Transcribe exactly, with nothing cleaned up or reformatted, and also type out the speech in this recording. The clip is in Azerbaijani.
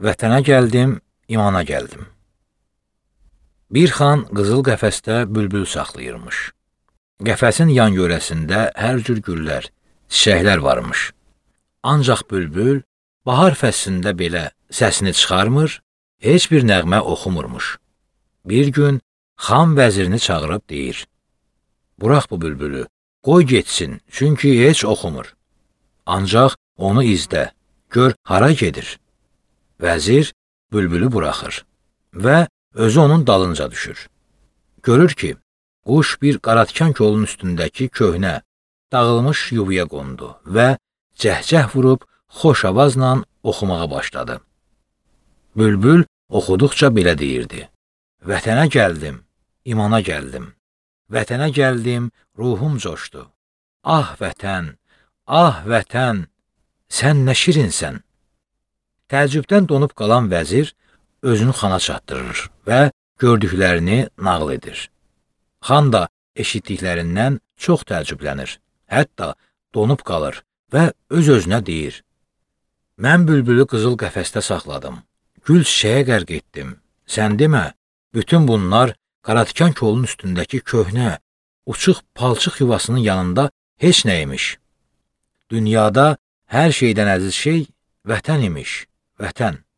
Vətənə gəldim, imana gəldim. Bir xan qızıl qəfəsdə bülbül saxlayırmış. Qəfəsin yan yörəsində hər cür güllər, çiçəklər varmış. Ancaq bülbül bahar fəslində belə səsini çıxarmır, heç bir nəğmə oxumurmuş. Bir gün xan vəzirini çağırıb deyir: "Burax bu bülbülü, qoy getsin, çünki heç oxumur. Ancaq onu izlə, gör hara gedir." Vəzir bülbülü buraxır və özü onun dalınca düşür. Görür ki, quş bir qaratikan kolun üstündəki köhnə, dağılmış yuvaya qondu və cəhcəh vurub xoş avazla oxumağa başladı. Bülbül oxuduqca belə deyirdi: "Vətənə gəldim, imana gəldim. Vətənə gəldim, ruhum coşdu. Ah vətən, ah vətən, sən nə şirinsən." Təəccübdən donub qalan vəzir özünü xana çatdırır və gördüklərini nağıl edir. Xan da eşitdiklərindən çox təəccüblənir, hətta donub qalır və öz-özünə deyir: "Mən bülbülü qızıl qəfəsdə saxladım, gül çiçəyə qərq etdim. Sən demə, bütün bunlar qaratikan kolun üstündəki köhnə, uçuq palçıq yuvasının yanında heç nə imiş. Dünyada hər şeydən əziz şey vətən imiş, vətən."